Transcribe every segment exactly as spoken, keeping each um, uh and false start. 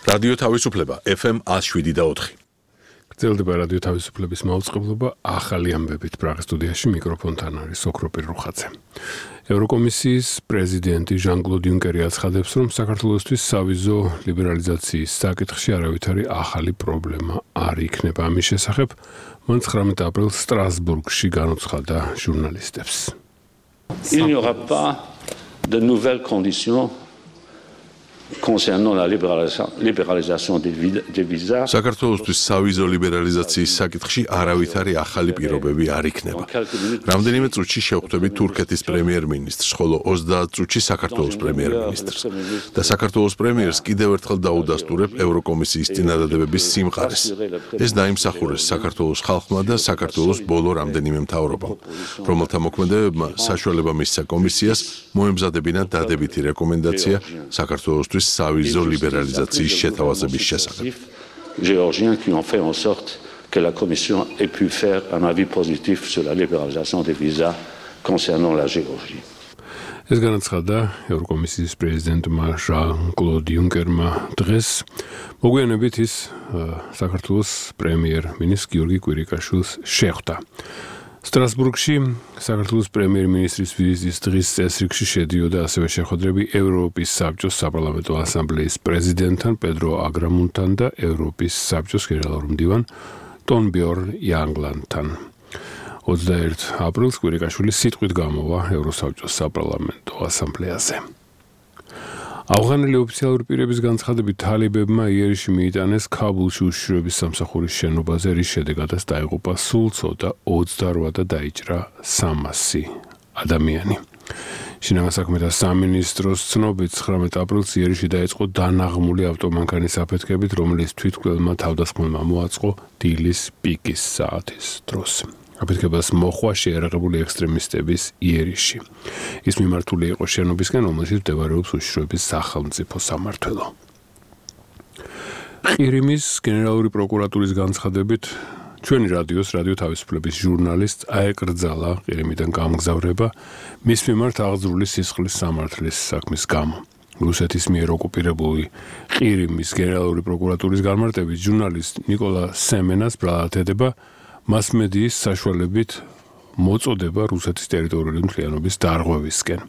რადიო თავისუფლება ეფ ემ one oh seven და four. გრძელდება რადიო თავისუფლების მაუწყებლობა ახალი ამბებით პრაღის სტუდიაში მიკროფონთან არის ოქროპირ რუხაძე. ევროკომისიის პრეზიდენტი ჟან-კლოდ იუნკერი აცხადებს, რომ საქართველოსთვის სავიზო ლიბერალიზაციის საკითხში არავითარი ახალი პრობლემა არ იქნება. ამის შესახებ მან ცხრამეტ აპრილს სტრასბურგში განუცხადა ჟურნალისტებს. Il n'y aura pas de nouvelles conditions concernant la libéralisation des visas. საქართველოსთვის სავიზო ლიბერალიზაციის საკითხში არავითარი ახალი პირობები არ იქნება. რამდენიმე წუთში შევხვდებით თურქეთის პრემიერ-მინისტრს, ხოლო ოცდაათ წუთში საქართველოს პრემიერ-მინისტრს. და საქართველოს პრემიერს კიდევ ერთხელ დაუდასტურებ ევროკომისიის წინადადებების სიმყარეს. ეს დაიმსახურეს საქართველოს ხალხმა და საქართველოს ბოლო რამდენიმე მთავრობამ, რომელთა მოქმედებებმა საშუალება მისცა კომისიას მოემზადებინა დადებითი რეკომენდაცია საქართველოსთვის სავიზო ლიბერალიზაციის შეთავაზების შესახებ. Géorgiens qui ont fait en sorte que la Commission ait pu faire un avis positif sur la libéralisation des visas concernant la Géorgie. ეს განაცხადა ევროკომისიის პრეზიდენტმა ჟან-კლოდ იუნკერმა დღეს. მოგვიანებით ის საქართველოს პრემიერ-მინისტრ გიორგი კვირიკაშვილს შეხვდა. სტრასბურგში საქართველოს პრემიერ-მინისტრის ვიზიტის დღის წესრიგში შედიოდა ასევე შეხვედრები ევროპის საბჭოს საპარლამენტო ასამბლეის პრეზიდენტთან პედრო აგრამუნთან და ევროპის საბჭოს გენერალურ მდივან ტონბიორნ იანგლანდთან. ოცდაერთ აპრილს კვირიკაშვილი სიტყვით გამოვა ევროსაბჭოს საპარლამენტო ასამბლეაზე. ავღანელი ოფიციალური პირების განცხადებით თალებებმა იერიშში მიიტანეს ქაბულში უშიშროების სამსახურის შენობაზე, რის შედეგადაც დაიღუპა სულ ცოტა ოცდარვა და დაიჭრა სამასი ადამიანი. შინაგან საქმეთა სამინისტროს ცნობით ცხრამეტ აპრილს იერიშში დაიწყო დანაღმული ავტომანქანის აფეთქებით, რომელიც თვითმკვლელმა თავდასხმელმა მოაწყო დილის პიკის საათის დროს. აფეთქებას მოხვა შეიარაღებული ექსტრემისტების იერიშში. ის მიმართული იყო შენობისკენ, რომელშიც მდებარეობს უშიშროების სახელმწიფო სამმართველო. ყირიმის გენერალური პროკურატურის განცხადებით, ჩვენი რადიოს რადიო თავისუფლების ჟურნალისტს აეკრძალა ყირიმიდან გამგზავრება მის მიმართ აღძრული სისხლის სამართლის საქმის გამო. რუსეთის მიერ ოკუპირებული ყირიმის გენერალური პროკურატურის განმარტებით, ჟურნალისტ ნიკოლა სემენას ბრალად ედება მასმედიის საშუალებით მოწოდება რუსეთის ტერიტორიული მთლიანობის დარღვევისკენ.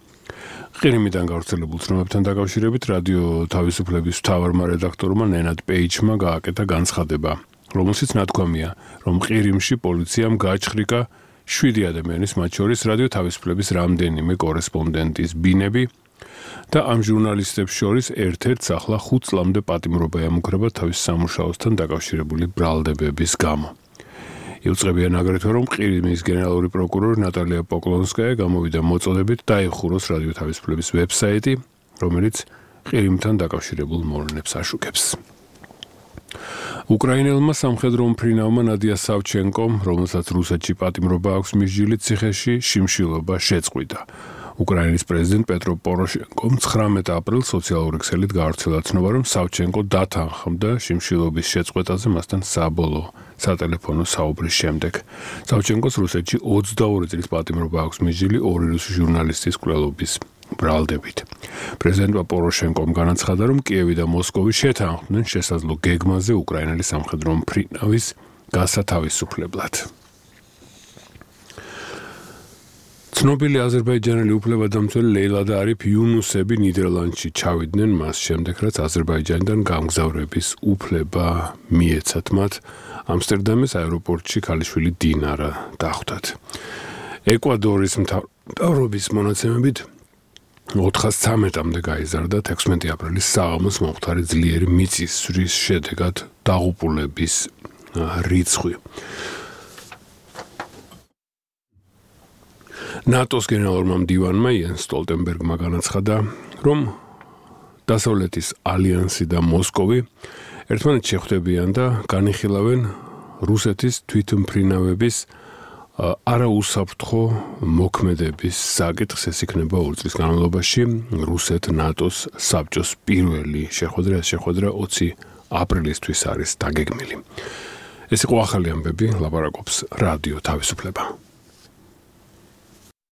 ყირიმიდან გავრცელებულ ცნობებთან დაკავშირებით რადიო თავისუფლების მთავარმა რედაქტორმა ნენად პეიჩმა გააკეთა განცხადება, რომელშიც ნათქვამია, რომ ყირიმში პოლიციამ გააჩხრიკა შვიდი ადამიანის, მათ შორის რადიო თავისუფლების რამდენიმე კორესპონდენტის ბინები და ამ ჟურნალისტებს შორის ერთ-ერთს ახლა ხუთ წლამდე პატიმრობა ემუქრება თავის სამუშაოსთან დაკავშირებული ბრალდებების გამო. იუწყებიან აგრეთვე, რომ ყირიმის გენერალური პროკურორი ნატალია პოკლონსკაია გამოვიდა მოწოდებით დაიხუროს რადიო თავისუფლების ვებსაიტი, რომელიც ყირიმთან დაკავშირებულ მოვლენებს აშუქებს. უკრაინელმა სამხედრო მფრინავმა ნადია სავჩენკომ, რომელსაც რუსეთში პატიმრობა აქვს მისჯილი ციხეში, შიმშილობა შეწყვიტა. უკრაინის პრეზიდენტ პეტრო პოროშენკომ ცხრამეტ აპრილს სოციალური ქსელით გაავრცელა ცნობა, რომ სავჩენკო დათანხმდა შიმშილობის შეწყვეტაზე მასთან საბოლოო სატელეფონო საუბრის შემდეგ. სავჩენკოს რუსეთში ოცდაორი წლის პატიმრობა აქვს მისჯილი ორი რუსი ჟურნალისტის მკვლელობის ბრალდებით. პრეზიდენტმა პოროშენკომ განაცხადა, რომ კიევი და მოსკოვი შეთანხმდნენ შესაძლო გეგმაზე უკრაინელი სამხედრო მფრინავის გასათავისუფლებლად. ცნობილი აზერბაიჯანელი უფლებადამცველი ლეილა და არიფ იუნუსები ნიდერლანდში ჩავიდნენ მას შემდეგ, რაც აზერბაიჯანიდან გამგზავრების უფლება მიეცათ მათ. ამსტერდამის აეროპორტში ქალიშვილი დინარა დახვდათ. ეკვადორის მთავრობის მონაცემებით ოთხას ცამეტამდე გაიზარდა ექვსმეტი აპრილის საღამოს მომხდარი ძლიერი მიწისძვრის შედეგად დაღუპულების რიცხვი. ნატოს გენერალურმა მდივანმა იენს სტოლტენბერგმა განაცხადა, რომ დასავლეთის ალიანსი და მოსკოვი ერთმანეთს შეხვდებიან და განიხილავენ რუსეთის თვითმფრინავების არაუსაფრთხო მოქმედების საკითხს. ეს იქნება ორი წლის განმავლობაში რუსეთ-ნატოს საბჭოს პირველი შეხვედრა. ეს შეხვედრა ოცი აპრილისთვის არის დაგეგმილი. ეს იყო ახალი ამბები, ლაპარაკობს რადიო თავისუფლება.